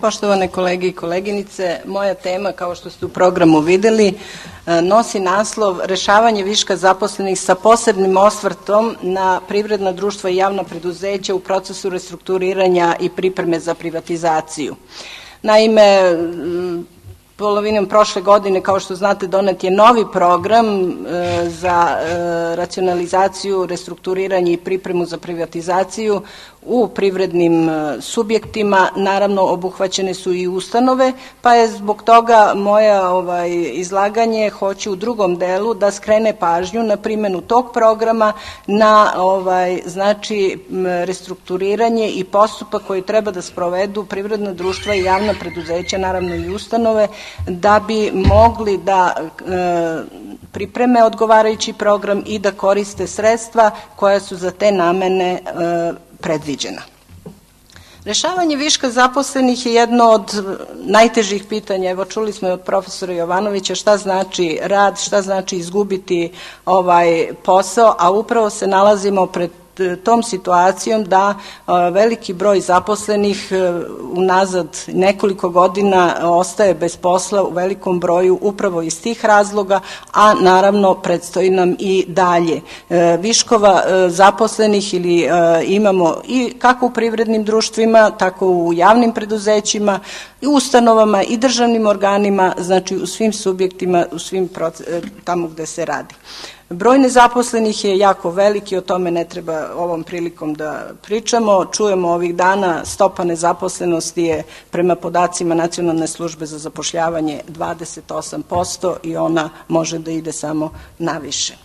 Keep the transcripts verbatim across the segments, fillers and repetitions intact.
Poštovane kolege i koleginice, moja tema, kao što ste u programu videli, nosi naslov Rešavanje viška zaposlenih sa posebnim osvrtom na privredna društva i javna preduzeća u procesu restrukturiranja i pripreme za privatizaciju. Naime, polovinom prošle godine, kao što znate, donet je novi program za racionalizaciju, restrukturiranje i pripremu za privatizaciju u privrednim subjektima. Naravno, obuhvaćene su i ustanove, pa je zbog toga moja ovaj, izlaganje hoće u drugom delu da skrene pažnju na primjenu tog programa, na ovaj, znači, restrukturiranje i postupak koji treba da sprovedu privredna društva i javna preduzeća, naravno i ustanove, da bi mogli da e, pripreme odgovarajući program i da koriste sredstva koja su za te namene e, predviđena. Rešavanje viška zaposlenih je jedno od najtežih pitanja. Evo, čuli smo od profesora Jovanovića šta znači rad, šta znači izgubiti ovaj posao, a upravo se nalazimo pred tom situacijom da veliki broj zaposlenih unazad nekoliko godina ostaje bez posla u velikom broju upravo iz tih razloga, a naravno predstoji nam i dalje. Viškova zaposlenih ili imamo i kako u privrednim društvima, tako u javnim preduzećima, i ustanovama i državnim organima, znači u svim subjektima, u svim tamo gde se radi. Broj nezaposlenih je jako veliki, o tome ne treba ovom prilikom da pričamo. Čujemo ovih dana, stopa nezaposlenosti je prema podacima Nacionalne službe za zapošljavanje dvadeset osam posto i ona može da ide samo naviše.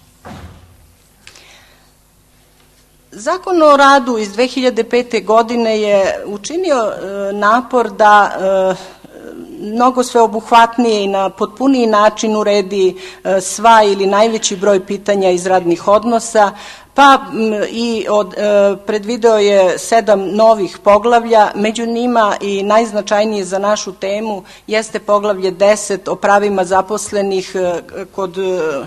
Zakon o radu iz dve hiljade pete. godine je učinio napor da mnogo sveobuhvatnije i na potpuniji način uredi sva ili najveći broj pitanja iz radnih odnosa, pa i od, e, predvideo je sedam novih poglavlja, među njima i najznačajnije za našu temu jeste poglavlje deset o pravima zaposlenih e, kod e,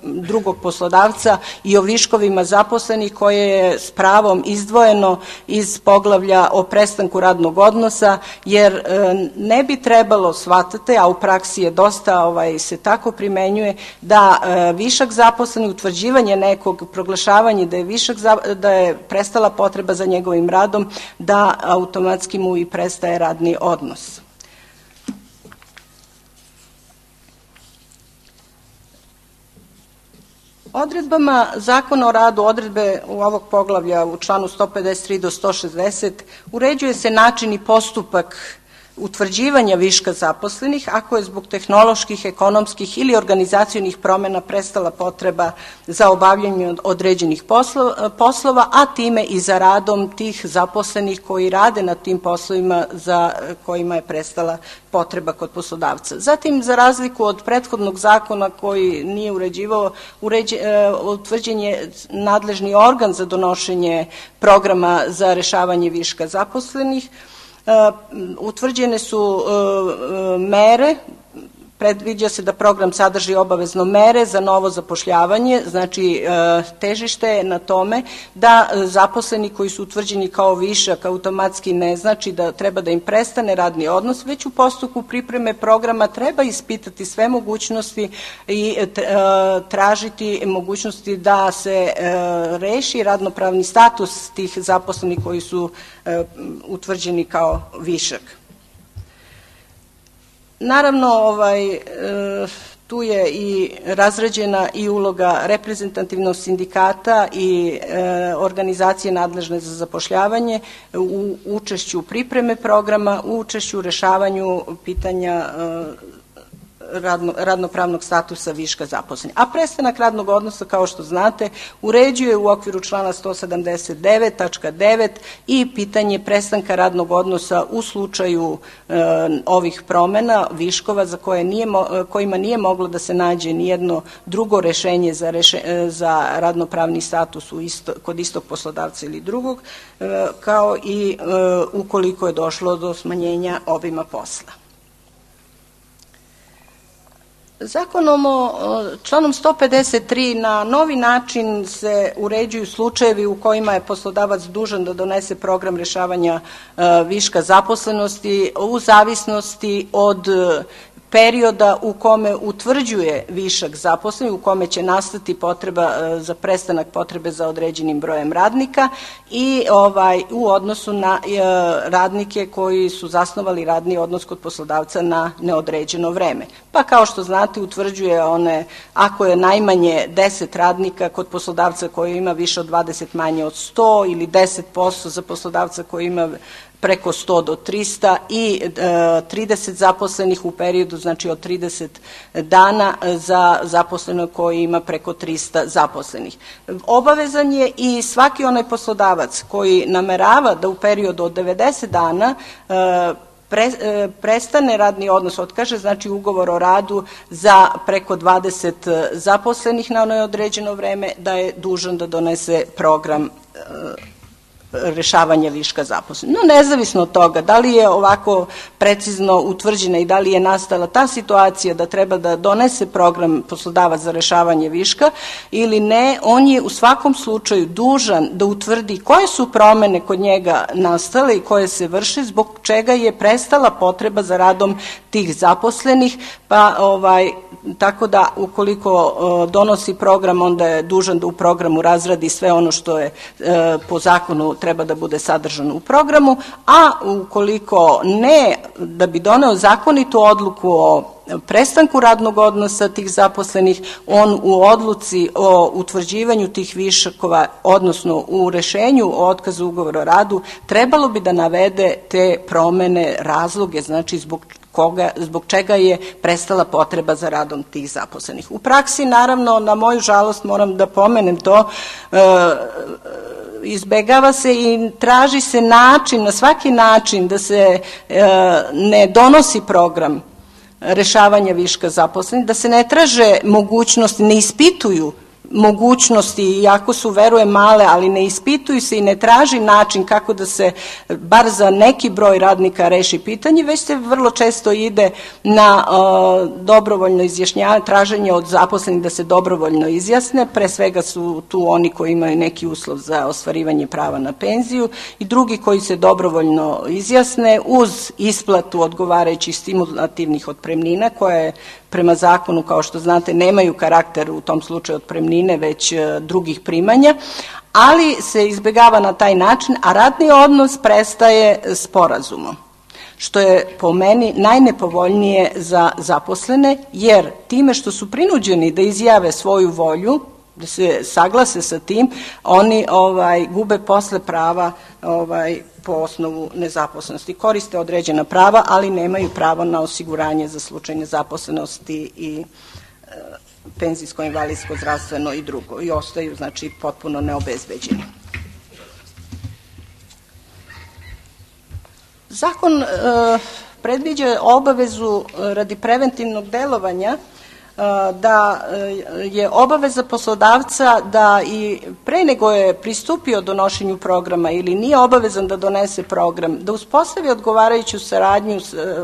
drugog poslodavca i o viškovima zaposlenih, koje je s pravom izdvojeno iz poglavlja o prestanku radnog odnosa, jer e, ne bi trebalo, shvatate, a u praksi je dosta ovaj, se tako primenjuje, da e, višak zaposlenih, utvrđivanje nekog, proglašavanje da je višak, da je prestala potreba za njegovim radom, da automatski mu i prestaje radni odnos. Odredbama Zakona o radu, odredbe u ovog poglavlja u članu sto pedeset tri do sto šezdeset, uređuje se način i postupak utvrđivanja viška zaposlenih ako je zbog tehnoloških, ekonomskih ili organizacionih promena prestala potreba za obavljanje određenih poslova, a time i za radom tih zaposlenih koji rade na tim poslovima za kojima je prestala potreba kod poslodavca. Zatim, za razliku od prethodnog zakona koji nije uređivao, uređe, utvrđen je nadležni organ za donošenje programa za rešavanje viška zaposlenih. Utvrđene su mere, predviđa se da program sadrži obavezno mere za novo zapošljavanje, znači težište je na tome da zaposleni koji su utvrđeni kao višak automatski ne znači da treba da im prestane radni odnos, već u postupku pripreme programa treba ispitati sve mogućnosti i tražiti mogućnosti da se reši radnopravni status tih zaposlenih koji su utvrđeni kao višak. Naravno, ovaj, tu je i razrađena i uloga reprezentativnog sindikata i organizacije nadležne za zapošljavanje u učešću pripreme programa, u učešću u rešavanju pitanja Radno, radnopravnog statusa viška zaposlenih. A prestanak radnog odnosa, kao što znate, uređuje u okviru člana sto sedamdeset devet tačka devet i pitanje prestanka radnog odnosa u slučaju e, ovih promena, viškova za koje nije, kojima nije moglo da se nađe nijedno drugo rešenje za, reše, za radnopravni status u isto, kod istog poslodavca ili drugog, e, kao i e, ukoliko je došlo do smanjenja obima posla. Zakonom o članom sto pedeset tri na novi način se uređuju slučajevi u kojima je poslodavac dužan da donese program rešavanja viška zaposlenosti u zavisnosti od perioda u kome utvrđuje višak zaposlenih, u kome će nastati potreba za prestanak potrebe za određenim brojem radnika i ovaj u odnosu na e, radnike koji su zasnovali radni odnos kod poslodavca na neodređeno vreme. Pa kao što znate utvrđuje one, ako je najmanje deset radnika kod poslodavca koji ima više od dvadeset manje od sto ili deset posto za poslodavca koji ima preko sto do trista i e, trideset zaposlenih u periodu, znači od trideset dana za zaposlenog koji ima preko trista zaposlenih. Obavezan je i svaki onaj poslodavac koji namerava da u periodu od devedeset dana e, Pre, e, prestane radni odnos, otkaže, znači ugovor o radu za preko dvadeset zaposlenih na neodređeno vreme, da je dužan da donese program e, rešavanja viška zaposlenih. No, nezavisno od toga, da li je ovako precizno utvrđena i da li je nastala ta situacija da treba da donese program poslodavac za rešavanje viška ili ne, on je u svakom slučaju dužan da utvrdi koje su promene kod njega nastale i koje se vrše, zbog čega je prestala potreba za radom tih zaposlenih, pa ovaj, tako da ukoliko uh, donosi program, onda je dužan da u programu razradi sve ono što je uh, po zakonu treba da bude sadržano u programu, a ukoliko ne, da bi doneo zakonitu odluku o prestanku radnog odnosa tih zaposlenih, on u odluci o utvrđivanju tih višakova, odnosno u rešenju o otkazu ugovora o radu, trebalo bi da navede te promene, razloge, znači zbog koga, zbog čega je prestala potreba za radom tih zaposlenih. U praksi, naravno, na moju žalost moram da pomenem to, e, izbegava se i traži se način, na svaki način da se e, ne donosi program rešavanja viška zaposlenih, da se ne traže mogućnosti, ne ispituju mogućnosti, iako su, verujem, male, ali ne ispituju se i ne traži način kako da se bar za neki broj radnika reši pitanje, već se vrlo često ide na uh, dobrovoljno izjašnjavanje, traženje od zaposlenih da se dobrovoljno izjasne, pre svega su tu oni koji imaju neki uslov za ostvarivanje prava na penziju i drugi koji se dobrovoljno izjasne uz isplatu odgovarajućih stimulativnih otpremnina koje prema zakonu, kao što znate, nemaju karakter u tom slučaju otpremnine, već drugih primanja, ali se izbegava na taj način, a radni odnos prestaje sporazumom, što je po meni najnepovoljnije za zaposlene, jer time što su prinuđeni da izjave svoju volju, da se saglase sa tim, oni ovaj, gube posle prava ovaj, po osnovu nezaposlenosti. Koriste određena prava, ali nemaju pravo na osiguranje za slučaj nezaposlenosti i e, penzijsko, invalidsko, zdravstveno i drugo. I ostaju, znači, potpuno neobezbeđeni. Zakon e, predviđa obavezu radi preventivnog delovanja da je obaveza poslodavca da i pre nego je pristupio donošenju programa ili nije obavezan da donese program, da uspostavi odgovarajuću saradnju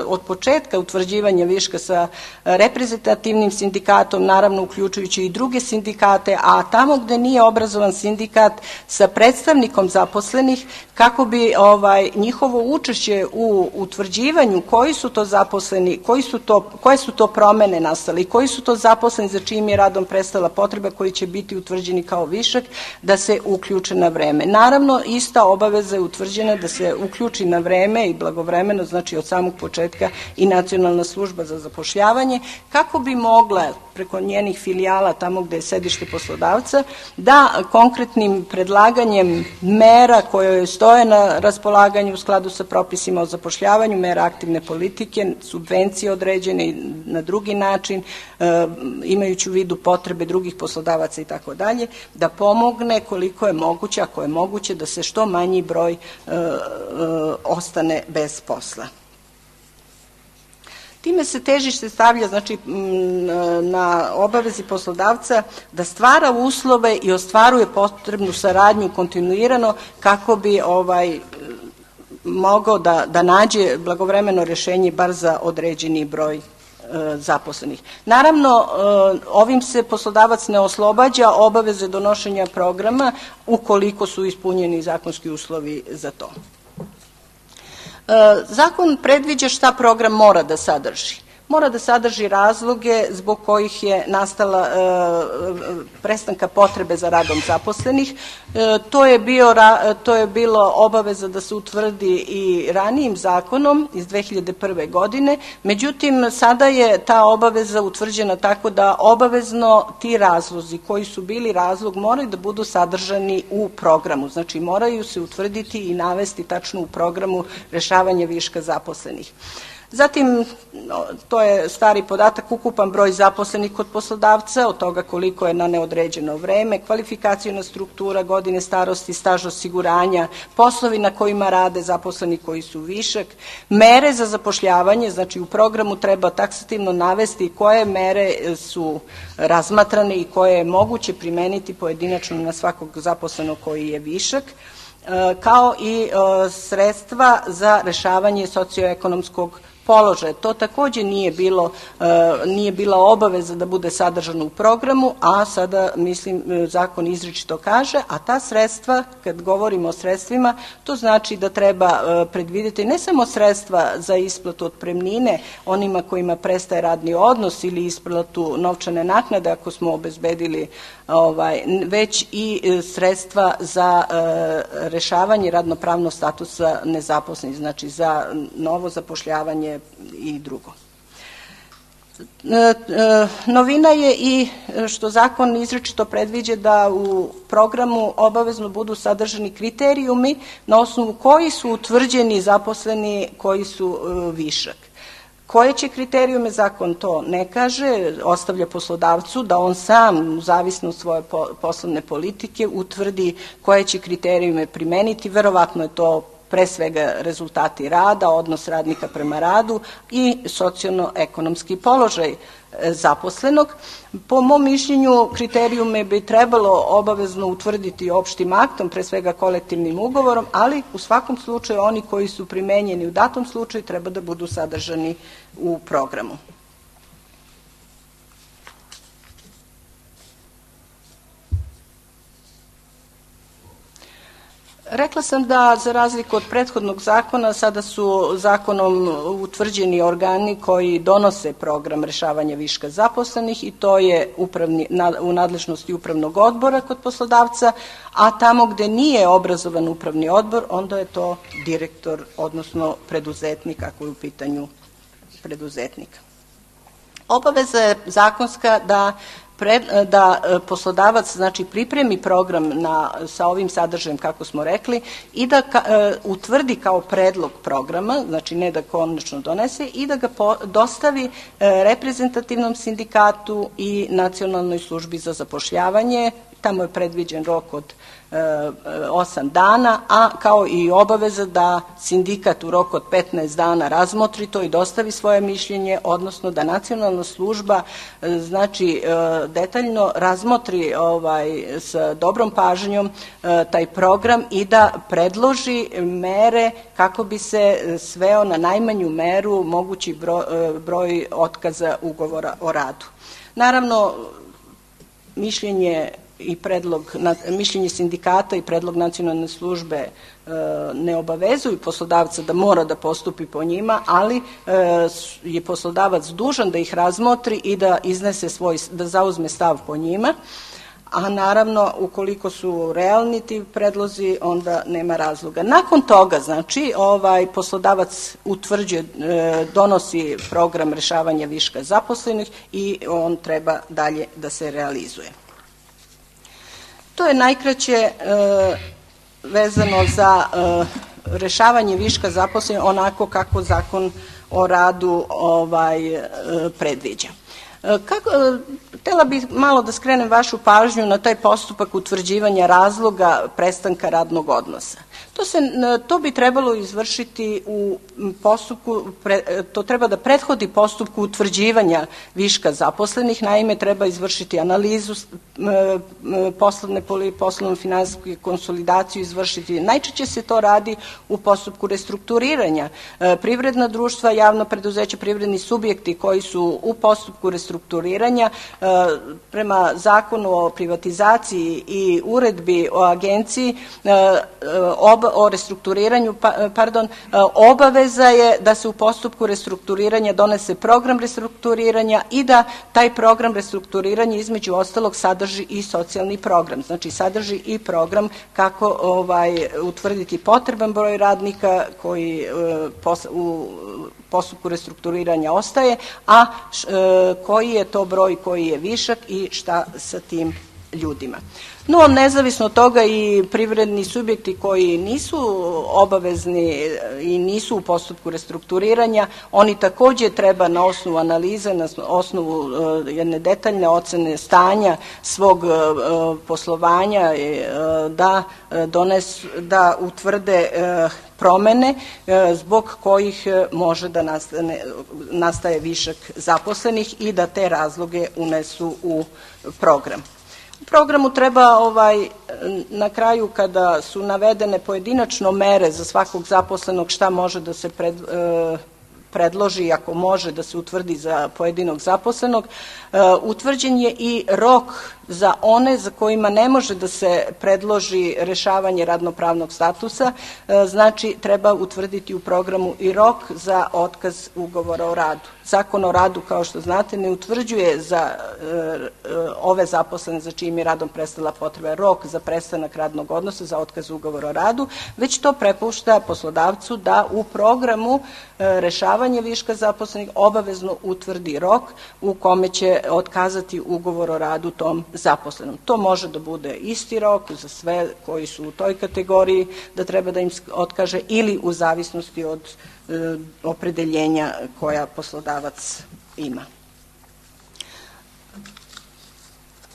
od početka utvrđivanja viška sa reprezentativnim sindikatom, naravno uključujući i druge sindikate, a tamo gde nije obrazovan sindikat sa predstavnikom zaposlenih, kako bi ovaj njihovo učešće u utvrđivanju koji su to zaposleni, koji su to, koje su to promene nastale i koji su to zaposleni za čijim je radom prestala potreba, koji će biti utvrđeni kao višak, da se uključe na vreme. Naravno, ista obaveza je utvrđena da se uključi na vreme i blagovremeno, znači od samog početka, i Nacionalna služba za zapošljavanje, kako bi mogla preko njenih filijala, tamo gde je sedište poslodavca, da konkretnim predlaganjem mera koje stoje na raspolaganju u skladu sa propisima o zapošljavanju, mera aktivne politike, subvencije određene i na drugi način, e, imajući u vidu potrebe drugih poslodavaca i tako dalje, da pomogne koliko je moguće, ako je moguće, da se što manji broj e, e, ostane bez posla. Time se težište stavlja, znači, na obavezi poslodavca da stvara uslove i ostvaruje potrebnu saradnju kontinuirano kako bi ovaj mogao da, da nađe blagovremeno rešenje bar za određeni broj zaposlenih. Naravno, ovim se poslodavac ne oslobađa obaveze donošenja programa ukoliko su ispunjeni zakonski uslovi za to. Zakon predviđa šta program mora da sadrži. Mora da sadrži razloge zbog kojih je nastala e, prestanka potrebe za radom zaposlenih. E, to, je bio, to je bilo obaveza da se utvrdi i ranijim zakonom iz dve hiljade prve. godine, međutim sada je ta obaveza utvrđena tako da obavezno ti razlozi koji su bili razlog moraju da budu sadržani u programu, znači moraju se utvrditi i navesti tačno u programu rešavanja viška zaposlenih. Zatim, to je stari podatak, ukupan broj zaposlenih kod poslodavca, od toga koliko je na neodređeno vreme, kvalifikacijona struktura, godine starosti, staž osiguranja, poslovi na kojima rade zaposleni koji su višak, mere za zapošljavanje, znači u programu treba taksativno navesti koje mere su razmatrane i koje je moguće primeniti pojedinačno na svakog zaposlenog koji je višak, kao i sredstva za rešavanje socioekonomskog položaja. To takođe nije bilo, nije bila obaveza da bude sadržano u programu, a sada, mislim, zakon izričito kaže, a ta sredstva, kad govorimo o sredstvima, to znači da treba predvideti ne samo sredstva za isplatu otpremnine onima kojima prestaje radni odnos ili isplatu novčane naknade ako smo obezbedili, ovaj, već i sredstva za rešavanje radnopravnog statusa nezaposlenih, znači za novo zapošljavanje i drugo. Novina je i što zakon izričito predviđa da u programu obavezno budu sadržani kriterijumi na osnovu koji su utvrđeni zaposleni koji su višak. Koje će kriterijume, zakon to ne kaže, ostavlja poslodavcu da on sam, u zavisno od svoje poslovne politike, utvrdi koje će kriterijume primeniti. Verovatno je to pre svega rezultati rada, odnos radnika prema radu i socijalno-ekonomski položaj zaposlenog. Po mom mišljenju kriterijume bi trebalo obavezno utvrditi opštim aktom, pre svega kolektivnim ugovorom, ali u svakom slučaju oni koji su primenjeni u datom slučaju treba da budu sadržani u programu. Rekla sam da za razliku od prethodnog zakona sada su zakonom utvrđeni organi koji donose program rešavanja viška zaposlenih i to je upravni, u nadležnosti upravnog odbora kod poslodavca, a tamo gde nije obrazovan upravni odbor onda je to direktor, odnosno preduzetnik ako je u pitanju preduzetnika. Obaveza je zakonska da da poslodavac, znači, pripremi program na, sa ovim sadržajem, kako smo rekli, i da ka, e, utvrdi kao predlog programa, znači ne da konačno donese, i da ga po, dostavi e, reprezentativnom sindikatu i Nacionalnoj službi za zapošljavanje. Tamo je predviđen rok od osam dana, a kao i obaveza da sindikat u roku od petnaest dana razmotri to i dostavi svoje mišljenje, odnosno da nacionalna služba, znači, detaljno razmotri ovaj, s dobrom pažnjom taj program i da predloži mere kako bi se sveo na najmanju meru mogući broj, broj otkaza ugovora o radu. Naravno, mišljenje i predlog, mišljenje sindikata i predlog nacionalne službe e, ne obavezuju poslodavca da mora da postupi po njima, ali e, je poslodavac dužan da ih razmotri i da iznese svoj, da zauzme stav po njima, a naravno ukoliko su realni ti predlozi onda nema razloga. Nakon toga, znači, ovaj poslodavac utvrđuje, e, donosi program rešavanja viška zaposlenih i on treba dalje da se realizuje. To je najkraće e, vezano za e, rešavanje viška zaposlenih onako kako zakon o radu ovaj, e, predviđa. E, kako, e, htela bih malo da skrenem vašu pažnju na taj postupak utvrđivanja razloga prestanka radnog odnosa. To, se, to bi trebalo izvršiti u postupku, to treba da prethodi postupku utvrđivanja viška zaposlenih, naime treba izvršiti analizu poslovne, poslovno finansijsku konsolidaciju, izvršiti. Najčešće se to radi u postupku restrukturiranja. Privredna društva, javno preduzeće, privredni subjekti koji su u postupku restrukturiranja prema zakonu o privatizaciji i uredbi o agenciji o restrukturiranju, pardon, obaveza je da se u postupku restrukturiranja donese program restrukturiranja i da taj program restrukturiranja između ostalog sadrži i socijalni program. Znači sadrži i program kako ovaj, utvrditi potreban broj radnika koji u postupku restrukturiranja ostaje, a koji je to broj koji je višak i šta sa tim ljudima. No, nezavisno od toga i privredni subjekti koji nisu obavezni i nisu u postupku restrukturiranja, oni također treba na osnovu analize, na osnovu jedne detaljne ocene stanja svog poslovanja da donesu, da utvrde promene zbog kojih može da nastane, nastaje višak zaposlenih i da te razloge unesu u program. U programu treba ovaj, na kraju kada su navedene pojedinačno mere za svakog zaposlenog šta može da se pred, e, predloži, ako može da se utvrdi za pojedinog zaposlenog, e, utvrđen je i rok za one za kojima ne može da se predloži rešavanje radnopravnog statusa, e, znači treba utvrditi u programu i rok za otkaz ugovora o radu. Zakon o radu, kao što znate, ne utvrđuje za e, ove zaposlene za čijim je radom prestala potreba rok za prestanak radnog odnosa, za otkaz ugovora o radu, već to prepušta poslodavcu da u programu e, rešavanja viška zaposlenih obavezno utvrdi rok u kome će otkazati ugovor o radu tom zaposlenom. To može da bude isti rok za sve koji su u toj kategoriji, da treba da im otkaže, ili u zavisnosti od e, opredeljenja koja poslodavac ima.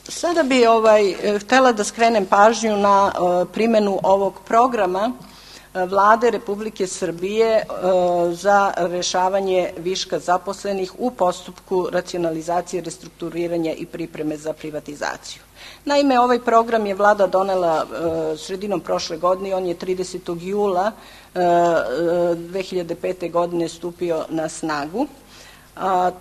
Sada bi ovaj, htela da skrenem pažnju na e, primjenu ovog programa Vlade Republike Srbije e, za rešavanje viška zaposlenih u postupku racionalizacije, restrukturiranja i pripreme za privatizaciju. Naime, ovaj program je Vlada donela e, sredinom prošle godine, on je tridesetog jula e, dve hiljade pete. godine stupio na snagu. A,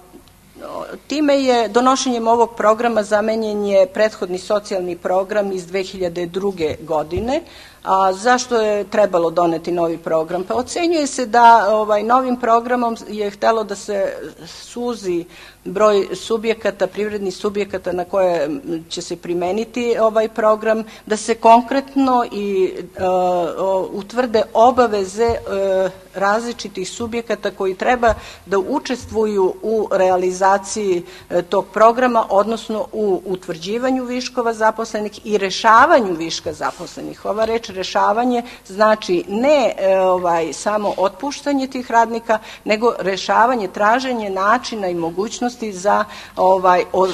time je, donošenjem ovog programa zamenjen je prethodni socijalni program iz dve hiljade druge. godine. A zašto je trebalo doneti novi program? Pa ocenjuje se da ovaj, novim programom je htelo da se suzi broj subjekata, privrednih subjekata na koje će se primeniti ovaj program, da se konkretno i uh, utvrde obaveze uh, različitih subjekata koji treba da učestvuju u realizaciji uh, tog programa, odnosno u utvrđivanju viškova zaposlenih i rešavanju viška zaposlenih. Ova reč rešavanje znači ne e, ovaj, samo otpuštanje tih radnika, nego rešavanje, traženje načina i mogućnosti za ovaj, o, e,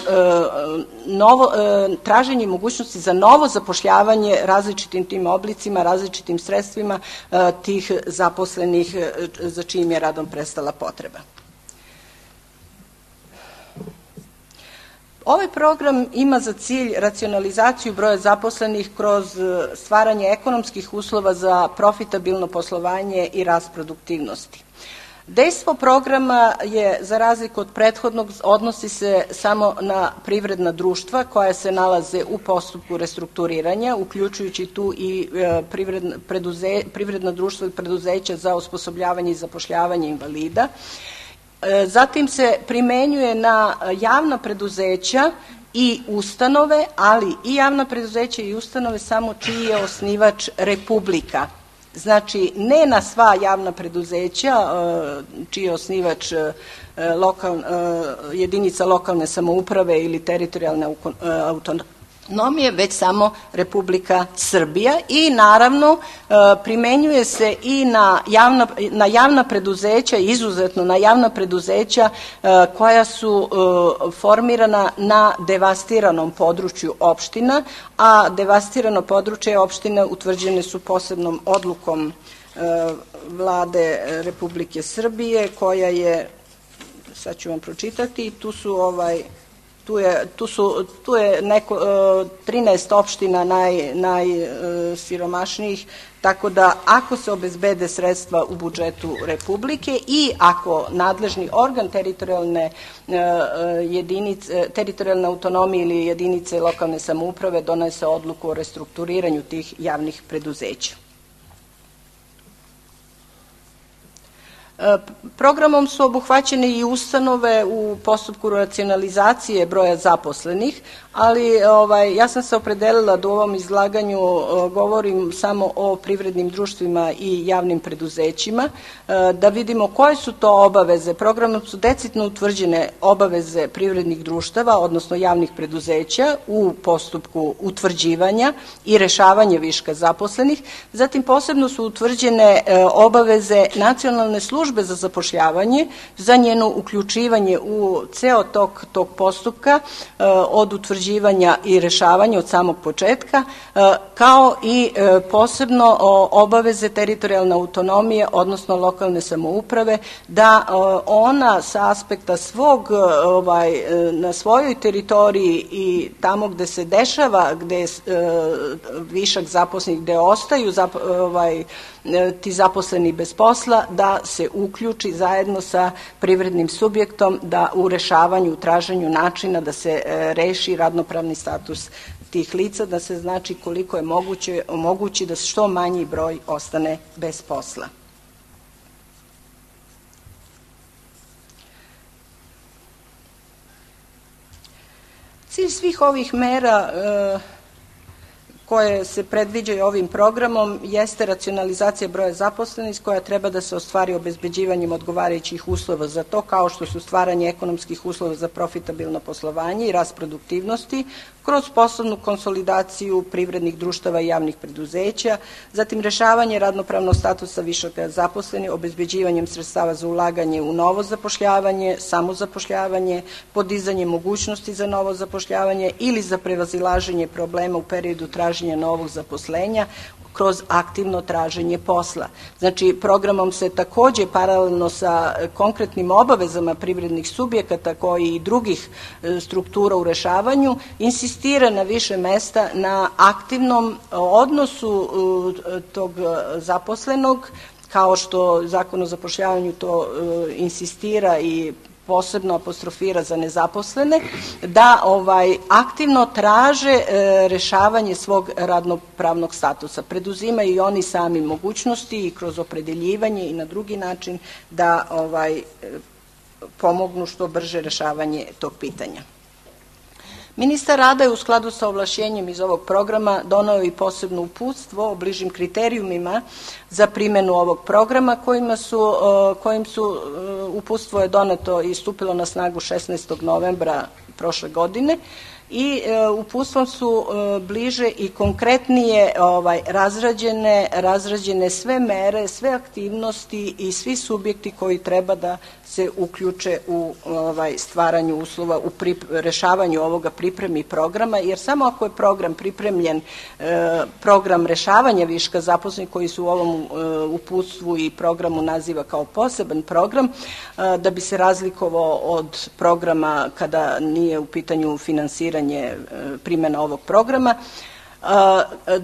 novo, e, traženje mogućnosti za novo zapošljavanje različitim tim oblicima, različitim sredstvima e, tih zaposlenih e, za čijim je radom prestala potreba. Ovaj program ima za cilj racionalizaciju broja zaposlenih kroz stvaranje ekonomskih uslova za profitabilno poslovanje i rast produktivnosti. Dejstvo programa je, za razliku od prethodnog, odnosi se samo na privredna društva koja se nalaze u postupku restrukturiranja, uključujući tu i privredna, preduze, privredna društva i preduzeća za osposobljavanje i zapošljavanje invalida. Zatim se primenjuje na javna preduzeća i ustanove, ali i javna preduzeća i ustanove samo čiji je osnivač Republika. Znači, ne na sva javna preduzeća čiji je osnivač lokal, jedinica lokalne samouprave ili teritorijalne autonomije, već samo Republika Srbija i naravno primenjuje se i na javna, na javna preduzeća, izuzetno na javna preduzeća koja su formirana na devastiranom području opština, a devastirano područje opštine utvrđene su posebnom odlukom Vlade Republike Srbije koja je, sad ću vam pročitati, tu su ovaj Tu je, tu su, tu je neko, trinaest opština naj, najsiromašnijih, tako da ako se obezbede sredstva u budžetu Republike i ako nadležni organ teritorijalne jedinice, teritorijalne autonomije ili jedinice lokalne samouprave donese odluku o restrukturiranju tih javnih preduzeća. Programom su obuhvaćene i ustanove u postupku racionalizacije broja zaposlenih, ali ovaj, ja sam se opredelila da u ovom izlaganju govorim samo o privrednim društvima i javnim preduzećima, da vidimo koje su to obaveze. Programom su decidno utvrđene obaveze privrednih društava, odnosno javnih preduzeća u postupku utvrđivanja i rešavanja viška zaposlenih. Zatim posebno su utvrđene obaveze nacionalne službe za zapošljavanje, za njeno uključivanje u ceo tok tog postupka od utvrđivanja i rešavanja od samog početka, kao i posebno obaveze teritorijalne autonomije, odnosno lokalne samouprave, da ona sa aspekta svog, ovaj, na svojoj teritoriji i tamo gde se dešava, gde je višak zaposlenih, gde ostaju ovaj, ti zaposleni bez posla, da se uključi zajedno sa privrednim subjektom da u rešavanju, u traženju načina da se reši radnopravni status tih lica, da se znači koliko je moguće omogući da što manji broj ostane bez posla. Cilj svih ovih mera koje se predviđaju ovim programom jeste racionalizacija broja zaposlenih koja treba da se ostvari obezbeđivanjem odgovarajućih uslova za to, kao što su stvaranje ekonomskih uslova za profitabilno poslovanje i rast produktivnosti kroz poslovnu konsolidaciju privrednih društava i javnih preduzeća, zatim rešavanje radnopravnog statusa višaka zaposlenih, obezbeđivanjem sredstava za ulaganje u novo zapošljavanje, samozapošljavanje, podizanje mogućnosti za novo zapošljavanje ili za prevazilaženje problema u periodu traženja novog zaposlenja kroz aktivno traženje posla. Znači, programom se takođe paralelno sa konkretnim obavezama privrednih subjekata koji i drugih struktura u rešavanju insistira na više mesta na aktivnom odnosu tog zaposlenog, kao što Zakon o zapošljavanju to insistira i posebno apostrofira za nezaposlene, da ovaj aktivno traže e, rešavanje svog radnopravnog statusa. Preduzimaju i oni sami mogućnosti i kroz opredeljivanje i na drugi način da ovaj pomognu što brže rešavanje tog pitanja. Ministar rada je u skladu sa ovlašćenjem iz ovog programa doneo i posebno uputstvo o bližim kriterijumima za primjenu ovog programa kojima su, kojim su uputstvo je doneto i stupilo na snagu šesnaestog novembra prošle godine i uputstvom su bliže i konkretnije ovaj, razrađene, razrađene sve mere, sve aktivnosti i svi subjekti koji treba da se uključe u ovaj, stvaranju uslova, u prip, rešavanju ovoga pripremi programa, jer samo ako je program pripremljen, e, program rešavanja viška zaposlenih koji su u ovom e, uputstvu i programu naziva kao poseban program, e, da bi se razlikovao od programa kada nije u pitanju finansiranje e, primjena ovog programa,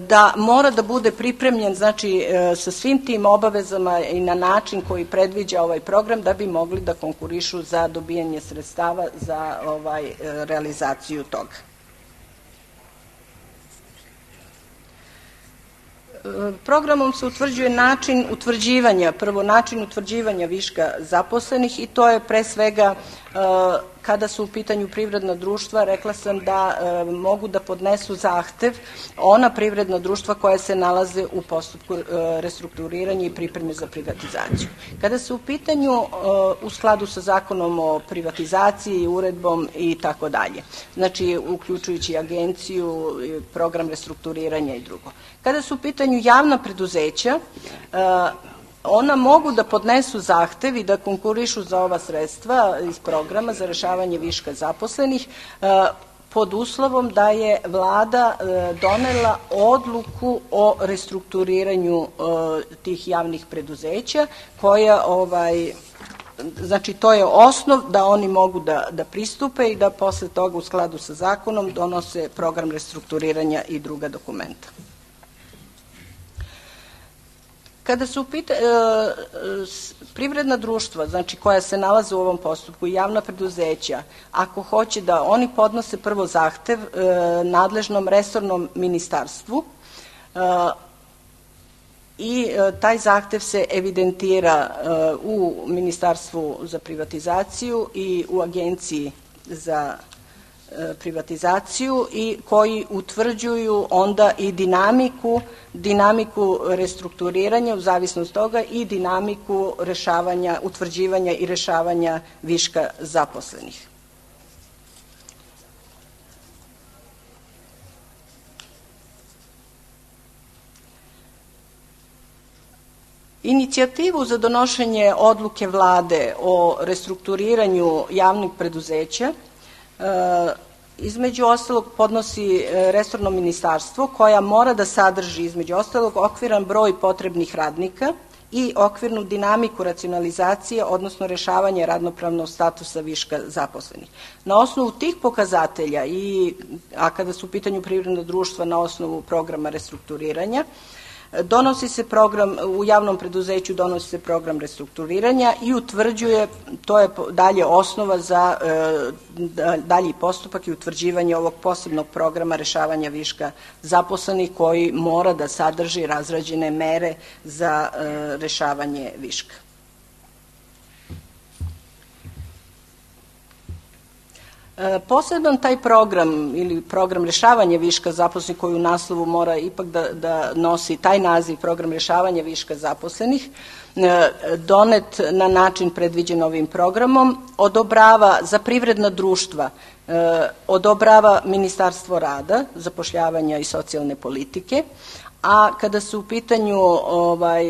da mora da bude pripremljen, znači sa svim tim obavezama i na način koji predviđa ovaj program da bi mogli da konkurišu za dobijanje sredstava za ovaj realizaciju toga. Programom se utvrđuje način utvrđivanja, prvo način utvrđivanja viška zaposlenih i to je pre svega Kada su u pitanju privredna društva, rekla sam da mogu da podnesu zahtev ona privredna društva koja se nalaze u postupku restrukturiranja i pripreme za privatizaciju. Kada su u pitanju u skladu sa zakonom o privatizaciji, uredbom i tako dalje, znači uključujući agenciju, program restrukturiranja i drugo. Kada su u pitanju javna preduzeća, ona mogu da podnesu zahtev i da konkurišu za ova sredstva iz programa za rešavanje viška zaposlenih pod uslovom da je Vlada donela odluku o restrukturiranju tih javnih preduzeća koja, ovaj, znači to je osnov da oni mogu da, da pristupe i da posle toga u skladu sa zakonom donose program restrukturiranja i druga dokumenta. Kada su pita, e, privredna društva, znači koja se nalaze u ovom postupku, javna preduzeća, ako hoće da oni podnose prvo zahtev e, nadležnom resornom ministarstvu e, i e, taj zahtev se evidentira e, u Ministarstvu za privatizaciju i u Agenciji za privatizaciju i koji utvrđuju onda i dinamiku, dinamiku restrukturiranja u zavisnosti toga i dinamiku rešavanja, utvrđivanja i rešavanja viška zaposlenih. Inicijativu za donošenje odluke Vlade o restrukturiranju javnih preduzeća između ostalog podnosi resorno ministarstvo koja mora da sadrži između ostalog okviran broj potrebnih radnika i okvirnu dinamiku racionalizacije, odnosno rešavanje radnopravnog statusa viška zaposlenih. Na osnovu tih pokazatelja, i, a kada su u pitanju privredna društva na osnovu programa restrukturiranja, donosi se program, u javnom preduzeću donosi se program restrukturiranja i utvrđuje, to je dalje osnova za e, dalji postupak i utvrđivanje ovog posebnog programa rešavanja viška zaposlenih koji mora da sadrži razrađene mere za e, rešavanje viška. Poseban taj program ili program rešavanja viška zaposlenih koji u naslovu mora ipak da, da nosi taj naziv program rešavanja viška zaposlenih, donet na način predviđen ovim programom, odobrava za privredna društva, odobrava Ministarstvo rada, zapošljavanja i socijalne politike, a kada su u pitanju ovaj,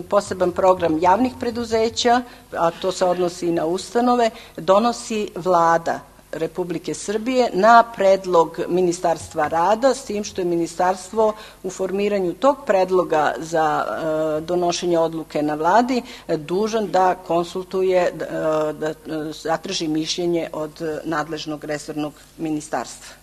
poseban program javnih preduzeća, a to se odnosi i na ustanove, donosi Vlada Republike Srbije na predlog Ministarstva rada, s tim što je ministarstvo u formiranju tog predloga za e, donošenje odluke na Vladi dužan da konsultuje, da, da zatraži mišljenje od nadležnog resornog ministarstva.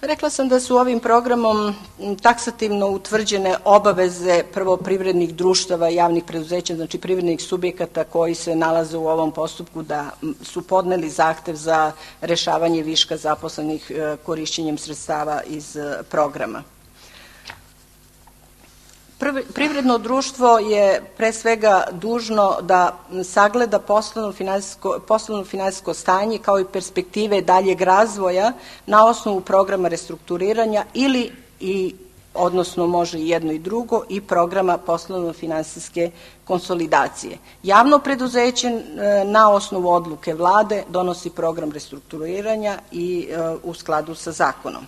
Rekla sam da su ovim programom taksativno utvrđene obaveze prvo privrednih društava i javnih preduzeća, znači privrednih subjekata koji se nalaze u ovom postupku da su podneli zahtev za rešavanje viška zaposlenih korišćenjem sredstava iz programa. Privredno društvo je pre svega dužno da sagleda poslovno finansijsko, poslovno finansijsko stanje kao i perspektive daljeg razvoja na osnovu programa restrukturiranja ili i odnosno može i jedno i drugo i programa poslovno finansijske konsolidacije. Javno preduzeće na osnovu odluke Vlade donosi program restrukturiranja i u skladu sa zakonom.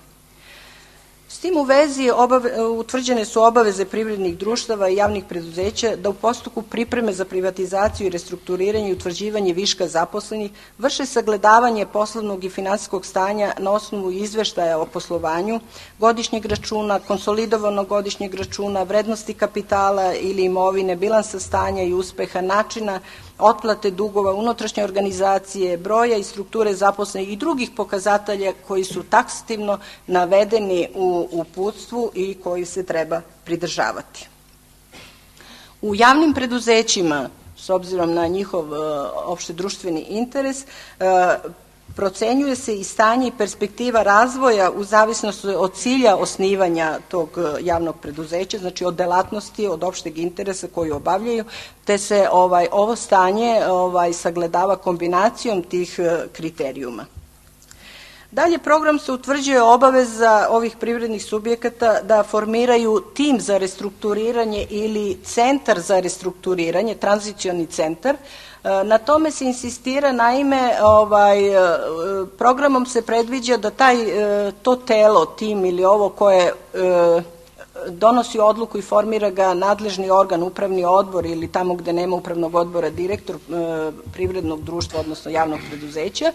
S tim u vezi obave, utvrđene su obaveze privrednih društava i javnih preduzeća da u postupku pripreme za privatizaciju i restrukturiranje i utvrđivanje viška zaposlenih vrše sagledavanje poslovnog i finansijskog stanja na osnovu izveštaja o poslovanju, godišnjeg računa, konsolidovanog godišnjeg računa, vrednosti kapitala ili imovine, bilansa stanja i uspeha, načina otplate dugova, unutrašnje organizacije, broja i strukture zaposlenih i drugih pokazatelja koji su taksativno navedeni u uputstvu i koji se treba pridržavati. U javnim preduzećima, s obzirom na njihov opšte društveni interes, procenjuje se i stanje i perspektiva razvoja u zavisnosti od cilja osnivanja tog javnog preduzeća, znači od delatnosti, od opšteg interesa koju obavljaju, te se ovaj, ovo stanje ovaj, sagledava kombinacijom tih kriterijuma. Dalje, program se utvrđuje obaveza ovih privrednih subjekata da formiraju tim za restrukturiranje ili centar za restrukturiranje, tranzicioni centar. Na tome se insistira, naime, ovaj, programom se predviđa da taj, to telo, tim ili ovo koje donosi odluku i formira ga nadležni organ, upravni odbor ili tamo gde nema upravnog odbora direktor privrednog društva, odnosno javnog preduzeća.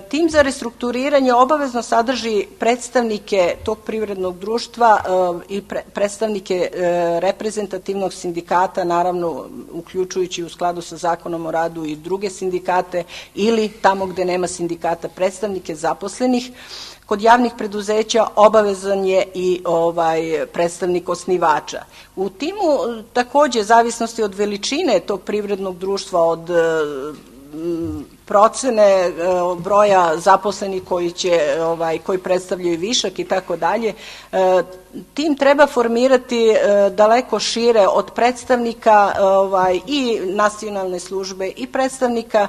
Tim za restrukturiranje obavezno sadrži predstavnike tog privrednog društva i predstavnike reprezentativnog sindikata, naravno uključujući u skladu sa Zakonom o radu i druge sindikate, ili tamo gde nema sindikata predstavnike zaposlenih. Kod javnih preduzeća obavezan je i ovaj predstavnik osnivača. U timu takođe zavisnosti od veličine tog privrednog društva, od procene broja zaposlenih koji će ovaj koji predstavljaju višak i tako dalje, tim treba formirati daleko šire od predstavnika ovaj i nacionalne službe i predstavnika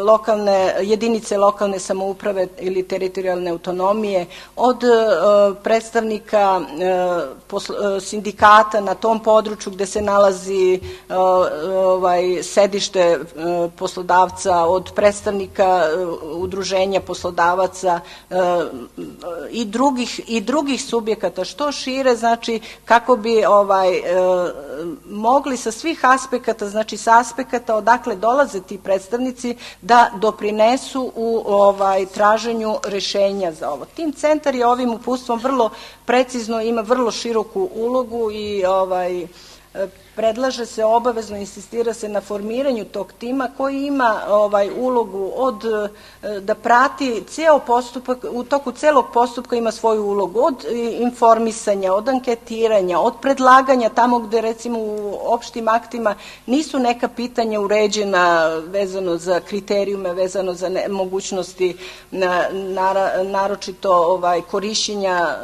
lokalne jedinice lokalne samouprave ili teritorijalne autonomije, od predstavnika sindikata na tom području gde se nalazi ovaj sedište poslodavca, od predstavnika udruženja poslodavaca i drugih i drugih subjekata, što šire, znači kako bi ovaj mogli sa svih aspekata, znači sa aspekata odakle dolaze ti predstavnici, da doprinesu u ovaj traženju rešenja za ovo. Tim centar je ovim uputstvom vrlo precizno, ima vrlo široku ulogu i ovaj predlaže se, obavezno insistira se na formiranju tog tima koji ima ovaj ulogu od da prati ceo postupak, u toku celog postupka ima svoju ulogu, od informisanja, od anketiranja, od predlaganja tamo gde recimo u opštim aktima nisu neka pitanja uređena vezano za kriterijume, vezano za ne, mogućnosti na, na, naročito ovaj korišćenja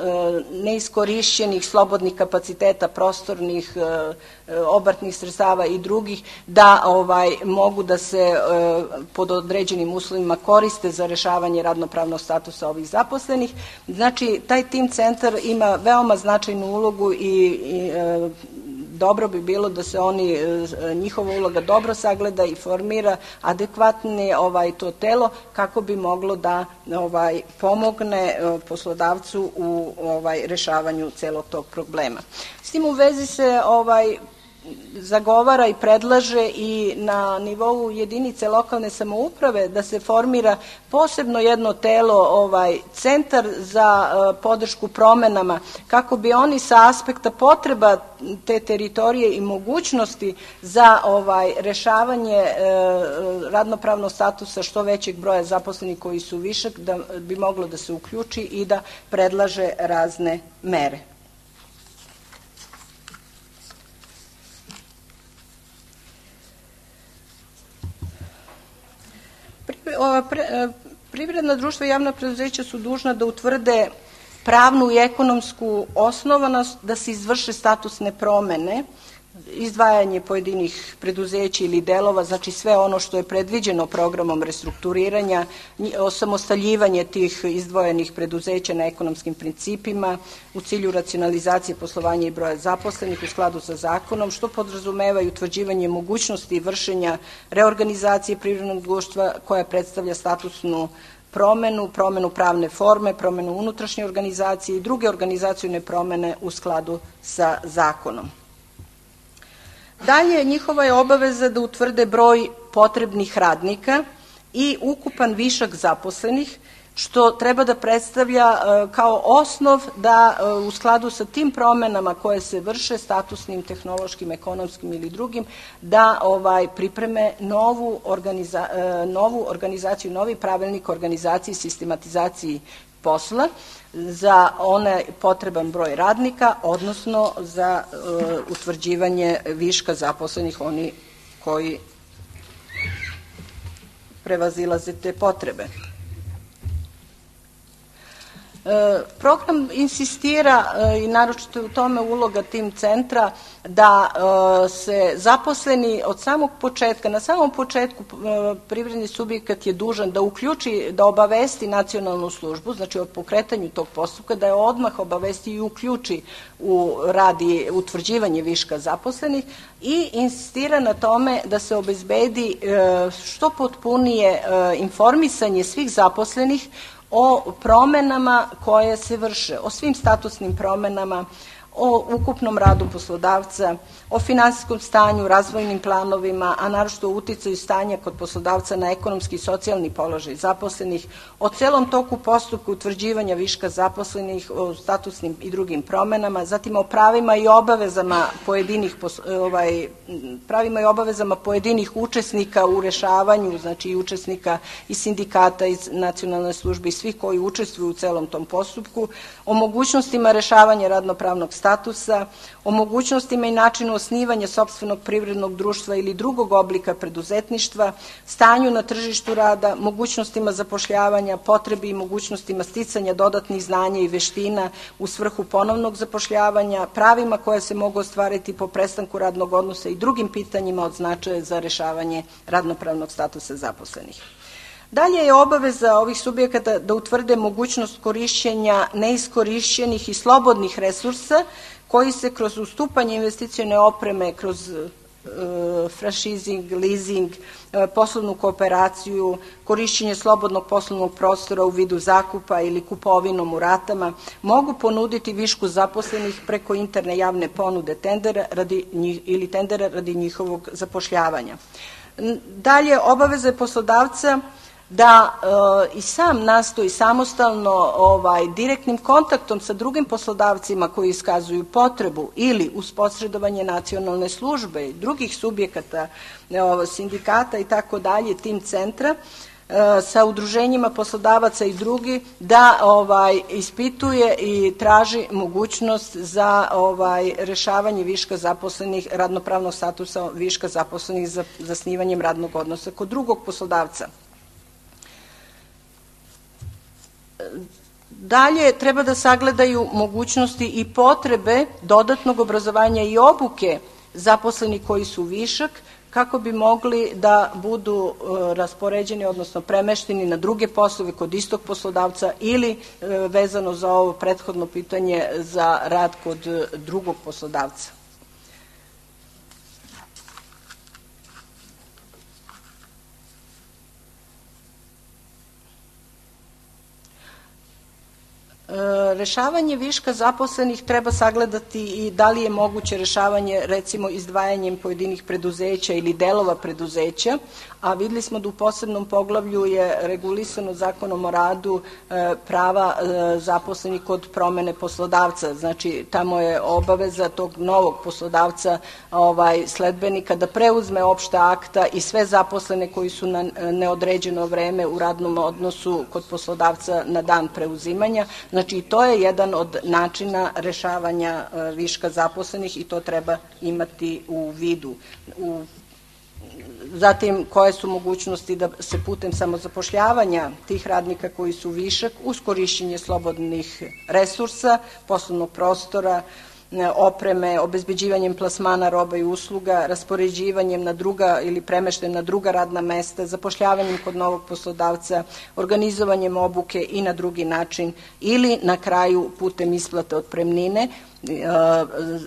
neiskorišćenih slobodnih kapaciteta prostornih, obrtnih sredstava i drugih, da ovaj mogu da se e, pod određenim uslovima koriste za rešavanje radnopravnog statusa ovih zaposlenih. Znači, taj tim centar ima veoma značajnu ulogu i, i e, dobro bi bilo da se oni, njihova uloga dobro sagleda i formira adekvatni ovaj to telo kako bi moglo da ovaj pomogne poslodavcu u ovaj rešavanju celog tog problema. S tim u vezi se ovaj zagovara i predlaže i na nivou jedinice lokalne samouprave da se formira posebno jedno telo, ovaj centar za uh, podršku promenama, kako bi oni sa aspekta potreba te teritorije i mogućnosti za ovaj rešavanje uh, radnopravnog statusa što većeg broja zaposlenih koji su višak, da bi moglo da se uključi i da predlaže razne mere. Privredna društva i javna preduzeća su dužna da utvrde pravnu i ekonomsku osnovanost da se izvrše statusne promene, izdvajanje pojedinih preduzeća ili delova, znači sve ono što je predviđeno programom restrukturiranja, osamostaljivanje tih izdvojenih preduzeća na ekonomskim principima u cilju racionalizacije poslovanja i broja zaposlenih u skladu sa zakonom, što podrazumeva i utvrđivanje mogućnosti vršenja reorganizacije privrednog društva koja predstavlja statusnu promenu, promenu pravne forme, promenu unutrašnje organizacije i druge organizacione promene u skladu sa zakonom. Dalje, njihova je obaveza da utvrde broj potrebnih radnika i ukupan višak zaposlenih, što treba da predstavlja kao osnov da u skladu sa tim promenama koje se vrše statusnim, tehnološkim, ekonomskim ili drugim, da ovaj pripreme novu, organiza, novu organizaciju, novi pravilnik o organizaciji i sistematizaciji posla za onaj potreban broj radnika, odnosno za uh, utvrđivanje viška zaposlenih, oni koji prevazilaze te potrebe. Program insistira, i naročito je u tome uloga tim centra, da se zaposleni od samog početka, na samom početku privredni subjekat je dužan da uključi, da obavesti nacionalnu službu, znači o pokretanju tog postupka, da je odmah obavesti i uključi u radi utvrđivanje viška zaposlenih i insistira na tome da se obezbedi što potpunije informisanje svih zaposlenih o promenama koje se vrše, o svim statusnim promenama, o ukupnom radu poslodavca, o finansijskom stanju, razvojnim planovima, a naročito o uticaju stanja kod poslodavca na ekonomski i socijalni položaj zaposlenih, o celom toku postupka utvrđivanja viška zaposlenih, o statusnim i drugim promenama, zatim o pravima i obavezama pojedinih ovaj, pravima i obavezama pojedinih učesnika u rešavanju, znači i učesnika i sindikata, iz nacionalne službe i svih koji učestvuju u celom tom postupku, o mogućnostima rešavanja radnopravnog statusa, o mogućnostima i načinu osnivanja sopstvenog privrednog društva ili drugog oblika preduzetništva, stanju na tržištu rada, mogućnostima zapošljavanja, potrebi i mogućnostima sticanja dodatnih znanja i veština u svrhu ponovnog zapošljavanja, pravima koje se mogu ostvariti po prestanku radnog odnosa i drugim pitanjima od značaja za rešavanje radnopravnog statusa zaposlenih. Dalje je obaveza ovih subjekata da utvrde mogućnost korišćenja neiskorišćenih i slobodnih resursa koji se kroz ustupanje investicione opreme, kroz e, franšizing, leasing, e, poslovnu kooperaciju, korišćenje slobodnog poslovnog prostora u vidu zakupa ili kupovinom u ratama, mogu ponuditi višku zaposlenih preko interne javne ponude tendera radi njih, ili tendera radi njihovog zapošljavanja. Dalje, obaveza je poslodavca da e, i sam nastoji samostalno ovaj, direktnim kontaktom sa drugim poslodavcima koji iskazuju potrebu ili uz posredovanje nacionalne službe i drugih subjekata, e, sindikata i tako dalje, tim centra, e, sa udruženjima poslodavaca i drugi, da ovaj, ispituje i traži mogućnost za ovaj, rešavanje viška zaposlenih, radnopravnog statusa viška zaposlenih za zasnivanjem radnog odnosa kod drugog poslodavca. Dalje, treba da sagledaju mogućnosti i potrebe dodatnog obrazovanja i obuke zaposleni koji su višak, kako bi mogli da budu raspoređeni, odnosno premešteni na druge poslove kod istog poslodavca ili vezano za ovo prethodno pitanje za rad kod drugog poslodavca. Rešavanje viška zaposlenih treba sagledati i da li je moguće rešavanje recimo izdvajanjem pojedinih preduzeća ili delova preduzeća, a videli smo da u posebnom poglavlju je regulisano Zakonom o radu prava zaposlenih kod promene poslodavca. Znači, tamo je obaveza tog novog poslodavca, ovaj, sledbenika, da preuzme opšta akta i sve zaposlene koji su na neodređeno vreme u radnom odnosu kod poslodavca na dan preuzimanja. Znači, to je jedan od načina rešavanja viška zaposlenih i to treba imati u vidu. U Zatim, koje su mogućnosti da se putem samozapošljavanja tih radnika koji su višak uz korišćenje slobodnih resursa, poslovnog prostora, opreme, obezbeđivanjem plasmana roba i usluga, raspoređivanjem na druga ili premeštajem na druga radna mesta, zapošljavanjem kod novog poslodavca, organizovanjem obuke i na drugi način ili na kraju putem isplate otpremnine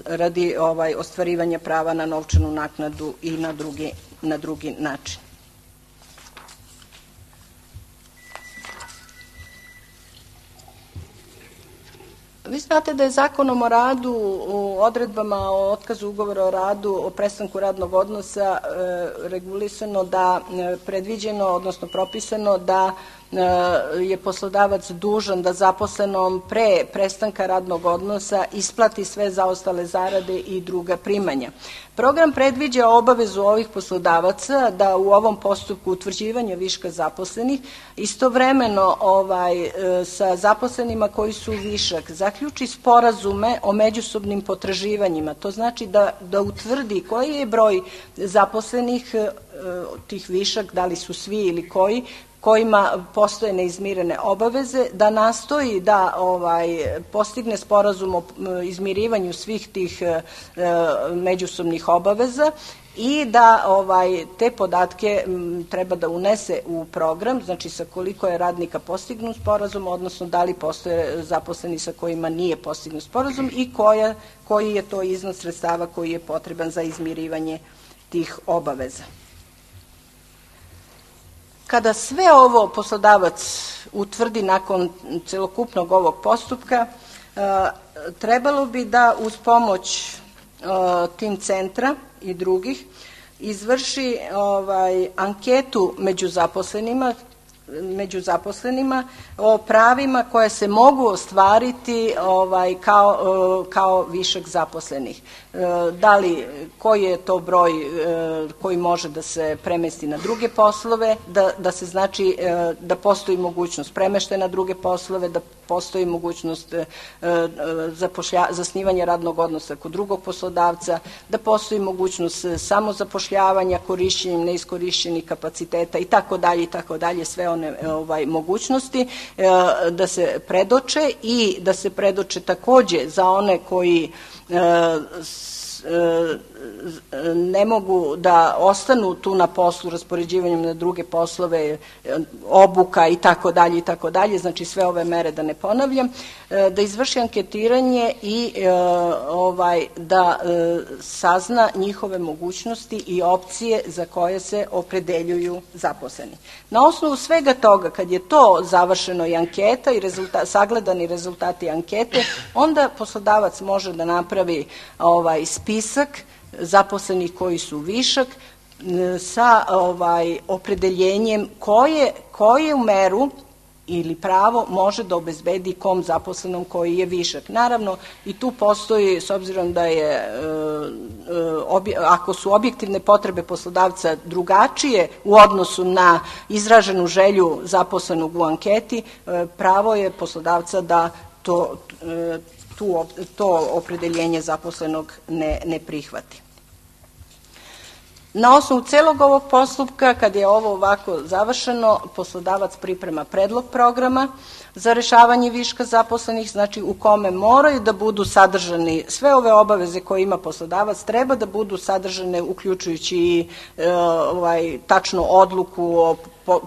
radi ovaj, ostvarivanja prava na novčanu naknadu i na drugi, na drugi način. Vi znate da je Zakonom o radu u odredbama o otkazu ugovora o radu, o prestanku radnog odnosa regulisano da predviđeno, odnosno propisano da je poslodavac dužan da zaposlenom pre prestanka radnog odnosa isplati sve zaostale zarade i druga primanja. Program predviđa obavezu ovih poslodavaca da u ovom postupku utvrđivanja viška zaposlenih istovremeno ovaj, sa zaposlenima koji su višak zaključi sporazume o međusobnim potraživanjima. To znači da, da utvrdi koji je broj zaposlenih tih višak, da li su svi ili koji, kojima postoje neizmirene obaveze, da nastoji da ovaj, postigne sporazum o izmirivanju svih tih e, međusobnih obaveza i da ovaj, te podatke m, treba da unese u program, znači sa koliko je radnika postignut sporazum, odnosno da li postoje zaposleni sa kojima nije postignut sporazum i koja, koji je to iznos sredstava koji je potreban za izmirivanje tih obaveza. Kada sve ovo poslodavac utvrdi nakon celokupnog ovog postupka, trebalo bi da uz pomoć tim centra i drugih izvrši ovaj, anketu među zaposlenima, među zaposlenima o pravima koje se mogu ostvariti ovaj, kao, kao višak zaposlenih. Da li, koji je to broj koji može da se premesti na druge poslove, da, da se znači da postoji mogućnost premeštaja na druge poslove, da postoji mogućnost zapošlja, zasnivanja radnog odnosa kod drugog poslodavca, da postoji mogućnost samozapošljavanja korišćenjem neiskorišćenih kapaciteta i tako dalje i tako dalje, sve one ovaj, mogućnosti da se predoče i da se predoče takođe za one koji ne mogu da ostanu tu na poslu raspoređivanjem na druge poslove, obuka i tako dalje i tako dalje, znači sve ove mere da ne ponavljam, da izvrši anketiranje i ovaj, da sazna njihove mogućnosti i opcije za koje se opredeljuju zaposleni. Na osnovu svega toga, kad je to završeno i anketa i rezulta, sagledani rezultati ankete, onda poslodavac može da napravi ovaj, spisak zaposlenih koji su višak sa ovaj, opredeljenjem koje, koju meru ili pravo može da obezbedi kom zaposlenom koji je višak. Naravno, i tu postoji, s obzirom da je, ako su objektivne potrebe poslodavca drugačije u odnosu na izraženu želju zaposlenog u anketi, pravo je poslodavca da to, tu, to opredeljenje zaposlenog ne, ne prihvati. Na osnovu celog ovog postupka, kad je ovo ovako završeno, poslodavac priprema predlog programa za rešavanje viška zaposlenih, znači u kome moraju da budu sadržani sve ove obaveze koje ima poslodavac, treba da budu sadržane uključujući i e, ovaj, tačno odluku o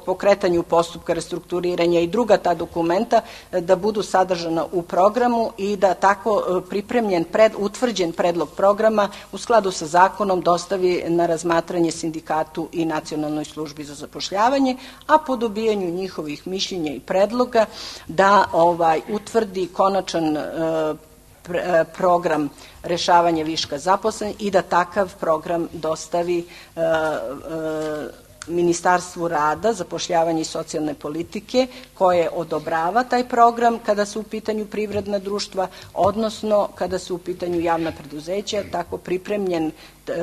pokretanju postupka restrukturiranja i druga ta dokumenta da budu sadržana u programu i da tako pripremljen, pred, utvrđen predlog programa u skladu sa zakonom dostavi na razmatranje sindikatu i Nacionalnoj službi za zapošljavanje, a po dobijanju njihovih mišljenja i predloga da ovaj, utvrdi konačan e, program rešavanja viška zaposlenih i da takav program dostavi e, e, Ministarstvu rada, zapošljavanja i socijalne politike koje odobrava taj program kada su u pitanju privredna društva, odnosno kada su u pitanju javna preduzeća, tako pripremljen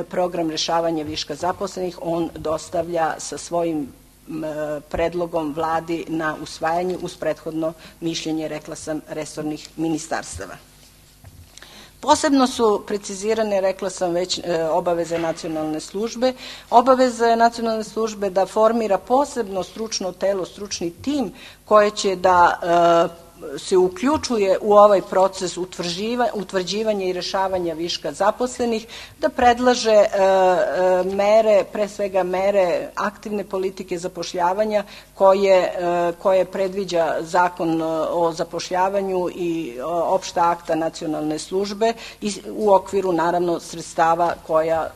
program rešavanja viška zaposlenih on dostavlja sa svojim predlogom vladi na usvajanje uz prethodno mišljenje, rekla sam, resornih ministarstava. Posebno su precizirane, rekla sam već, obaveze nacionalne službe. Obaveza nacionalne službe da formira posebno stručno telo, stručni tim koje će da se uključuje u ovaj proces utvrđivanja i rešavanja viška zaposlenih, da predlaže mere, pre svega mere aktivne politike zapošljavanja koje, koje predviđa zakon o zapošljavanju i opšta akta nacionalne službe i u okviru naravno sredstava koja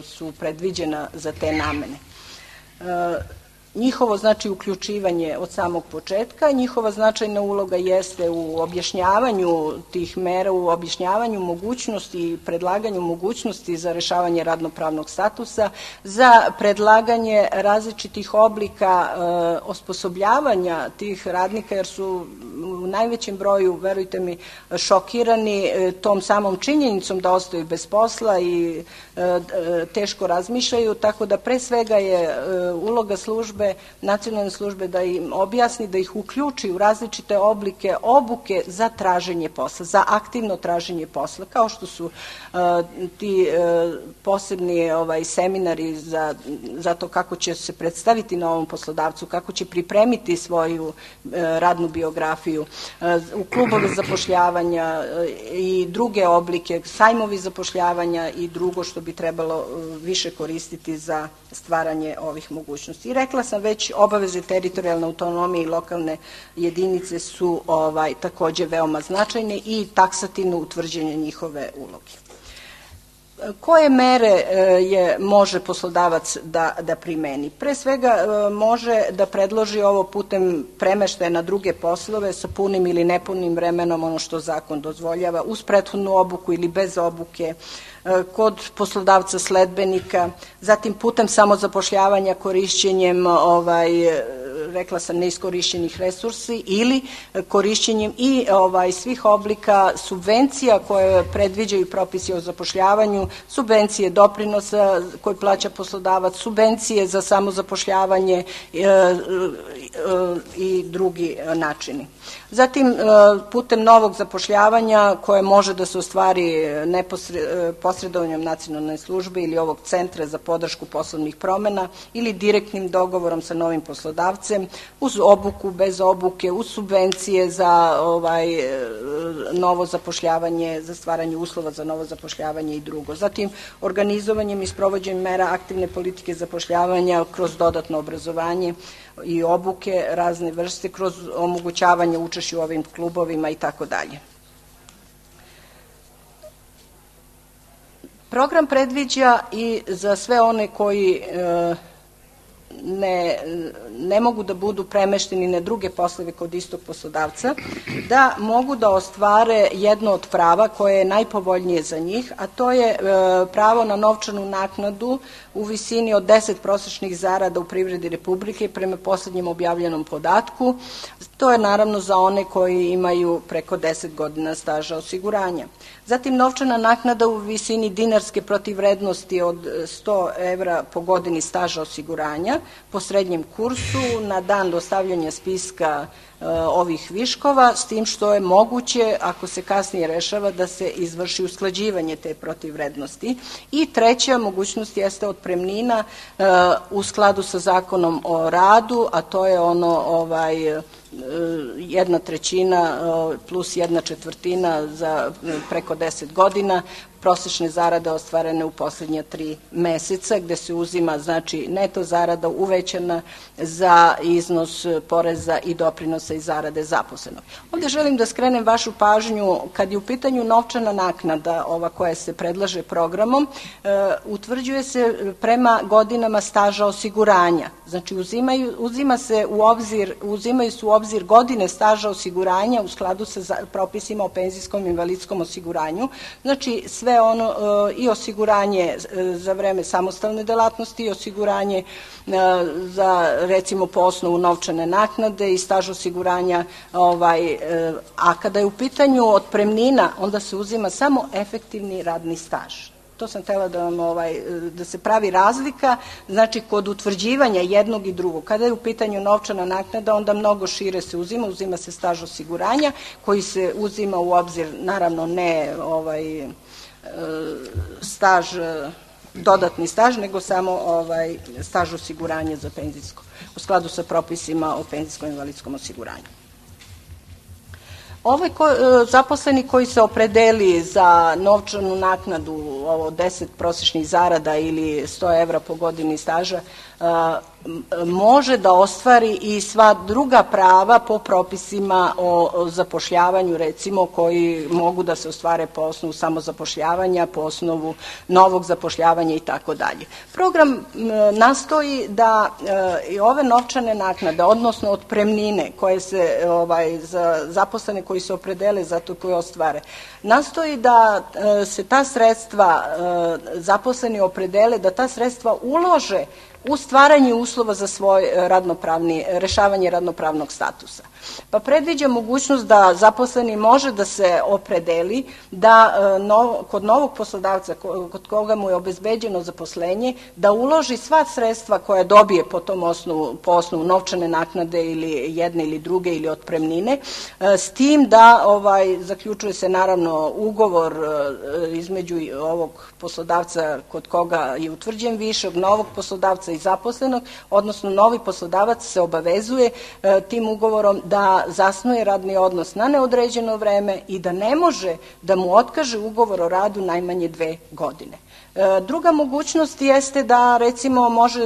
su predviđena za te namene. njihovo znači uključivanje od samog početka, njihova značajna uloga jeste u objašnjavanju tih mera, u objašnjavanju mogućnosti i predlaganju mogućnosti za rešavanje radnopravnog statusa, za predlaganje različitih oblika e, osposobljavanja tih radnika, jer su u najvećem broju, verujte mi, šokirani e, tom samom činjenicom da ostaju bez posla i e, teško razmišljaju, tako da pre svega je e, uloga službe, nacionalne službe, da im objasni, da ih uključi u različite oblike obuke za traženje posla, za aktivno traženje posla, kao što su uh, ti uh, posebni ovaj, seminari za, za to kako će se predstaviti novom poslodavcu, kako će pripremiti svoju uh, radnu biografiju, uh, u klubove zapošljavanja uh, i druge oblike, sajmovi zapošljavanja i drugo što bi trebalo uh, više koristiti za stvaranje ovih mogućnosti. I rekla sam već, obaveze teritorijalne autonomije i lokalne jedinice su ovaj, takođe veoma značajne i taksativno utvrđenje njihove uloge. Koje mere je može poslodavac da, da primeni? Pre svega može da predloži ovo putem premeštaja na druge poslove sa punim ili nepunim vremenom, ono što zakon dozvoljava, uz prethodnu obuku ili bez obuke, kod poslodavca sledbenika, zatim putem samozapošljavanja korišćenjem ovaj, rekla sam, neiskorišćenih resursi ili korišćenjem i ovaj, svih oblika subvencija koje predviđaju propisi o zapošljavanju, subvencije doprinosa koje plaća poslodavac, subvencije za samozapošljavanje e, e, i drugi načini. Zatim, e, putem novog zapošljavanja koje može da se ostvari posredovanjem nacionalne službe ili ovog centra za podršku poslovnih promena ili direktnim dogovorom sa novim poslodavcem, uz obuku, bez obuke, uz subvencije za ovaj, novo zapošljavanje, za stvaranje uslova za novo zapošljavanje i drugo. Zatim, organizovanjem i sprovođenjem mera aktivne politike zapošljavanja kroz dodatno obrazovanje i obuke razne vrste, kroz omogućavanje učešća u ovim klubovima i tako dalje. Program predviđa i za sve one koji e, Ne, ne mogu da budu premešteni na druge poslove kod istog poslodavca, da mogu da ostvare jedno od prava koje je najpovoljnije za njih, a to je e, pravo na novčanu naknadu u visini od deset prosečnih zarada u privredi Republike prema poslednjem objavljenom podatku. To je naravno za one koji imaju preko deset godina staža osiguranja. Zatim, novčana naknada u visini dinarske protivvrednosti od sto evra po godini staža osiguranja po srednjem kursu na dan dostavljanja spiska e, ovih viškova, s tim što je moguće, ako se kasnije rešava, da se izvrši usklađivanje te protivvrednosti. I treća mogućnost jeste otpremnina e, u skladu sa zakonom o radu, a to je ono ovaj, jedna trećina plus jedna četvrtina za preko deset godina prosečne zarade ostvarene u poslednja tri meseca, gde se uzima znači neto zarada uvećana za iznos poreza i doprinosa i zarade zaposlenog. Ovde želim da skrenem vašu pažnju, kad je u pitanju novčana naknada, ova koja se predlaže programom, e, utvrđuje se prema godinama staža osiguranja. Znači uzimaju, uzima se u obzir, uzimaju se u obzir godine staža osiguranja u skladu sa propisima o penzijskom i invalidskom osiguranju. Znači sve ono i osiguranje za vreme samostalne delatnosti i osiguranje za recimo po osnovu novčane naknade i staž osiguranja, ovaj, a kada je u pitanju otpremnina, onda se uzima samo efektivni radni staž. To sam htela da vam, ovaj, da se pravi razlika, znači kod utvrđivanja jednog i drugog. Kada je u pitanju novčana naknada, onda mnogo šire se uzima, uzima se staž osiguranja koji se uzima u obzir, naravno ne ovaj, staž, dodatni staž, nego samo ovaj, staž osiguranja za penzijsko, u skladu sa propisima o penzijskom i invalidskom osiguranju. Ovaj ko, zaposleni koji se opredeli za novčanu naknadu, ovo deset prosečnih zarada ili sto evra po godini staža, može da ostvari i sva druga prava po propisima o zapošljavanju, recimo, koji mogu da se ostvare po osnovu samozapošljavanja, po osnovu novog zapošljavanja i tako dalje. Program nastoji da i ove novčane naknade, odnosno otpremnine koje se ovaj, za zaposlene koji se opredele za to koje ostvare, nastoji da se ta sredstva zaposleni opredele, da ta sredstva ulože u stvaranje uslova za svoj radnopravni, rešavanje radnopravnog statusa. Pa predviđa mogućnost da zaposleni može da se opredeli da no, kod novog poslodavca kod koga mu je obezbeđeno zaposlenje da uloži sva sredstva koja dobije po tom osnovu, po osnovu novčane naknade ili jedne ili druge ili otpremnine, s tim da ovaj, zaključuje se naravno ugovor između ovog poslodavca kod koga je utvrđen višak, novog poslodavca i zaposlenog, odnosno novi poslodavac se obavezuje tim ugovorom da zasnuje radni odnos na neodređeno vreme i da ne može da mu otkaže ugovor o radu najmanje dve godine. Druga mogućnost jeste da, recimo, može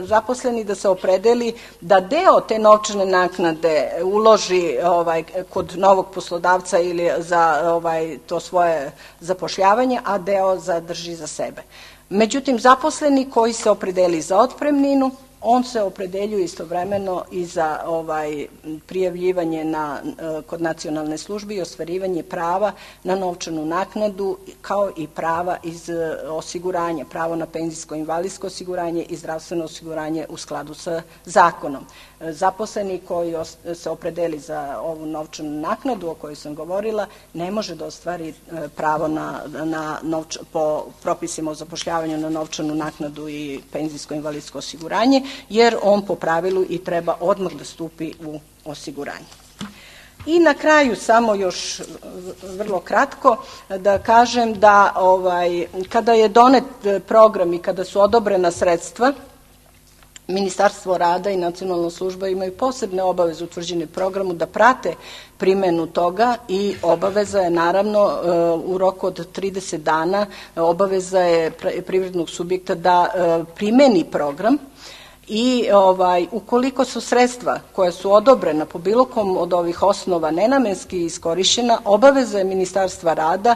zaposleni da se opredeli da deo te novčane naknade uloži ovaj, kod novog poslodavca ili za ovaj, to svoje zapošljavanje, a deo zadrži za sebe. Međutim, zaposleni koji se opredeli za otpremninu, on se opredeljuje istovremeno i za ovaj, prijavljivanje na, kod nacionalne službe i ostvarivanje prava na novčanu naknadu, kao i prava iz osiguranja, pravo na penzijsko i invalidsko osiguranje i zdravstveno osiguranje u skladu sa zakonom. Zaposleni koji se opredeli za ovu novčanu naknadu o kojoj sam govorila ne može da ostvari pravo na, na novč, po propisima o zapošljavanju na novčanu naknadu i penzijsko i invalidsko osiguranje, jer on po pravilu i treba odmah da stupi u osiguranje. I na kraju samo još vrlo kratko da kažem da ovaj, kada je donet program i kada su odobrena sredstva, Ministarstvo rada i Nacionalna služba imaju posebne obaveze utvrđene programu da prate primenu toga i obaveza je naravno u roku od trideset dana, obaveza je privrednog subjekta da primeni program. I ovaj, ukoliko su sredstva koja su odobrena po bilo kom od ovih osnova nenamenski iskorišćena, obaveza je Ministarstva rada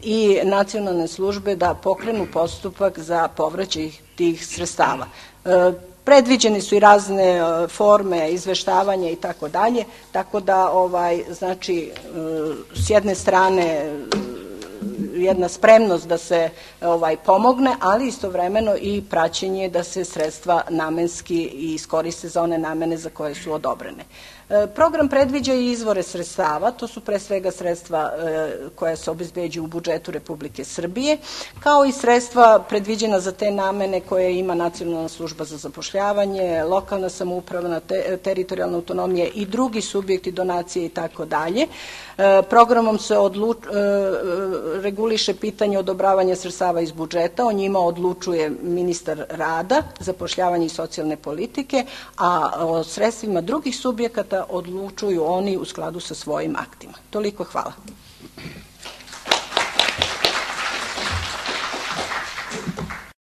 i Nacionalne službe da pokrenu postupak za povraćaj tih sredstava. E, predviđeni su i razne forme izveštavanja i tako dalje, tako da ovaj, znači, s jedne strane jedna spremnost da se ovaj, pomogne, ali istovremeno i praćenje da se sredstva namenski iskoriste za one namene za koje su odobrene. Program predviđa i izvore sredstava, to su pre svega sredstva koja se obezbeđuju u budžetu Republike Srbije, kao i sredstva predviđena za te namene koje ima Nacionalna služba za zapošljavanje, lokalna samouprava, te, teritorijalna autonomija i drugi subjekti, donacije i tako dalje. Programom se odluč, reguliše pitanje odobravanja sredstava iz budžeta, o njima odlučuje ministar rada, zapošljavanja i socijalne politike, a o sredstvima drugih subjekata odlučuju oni u skladu sa svojim aktima. Toliko, hvala.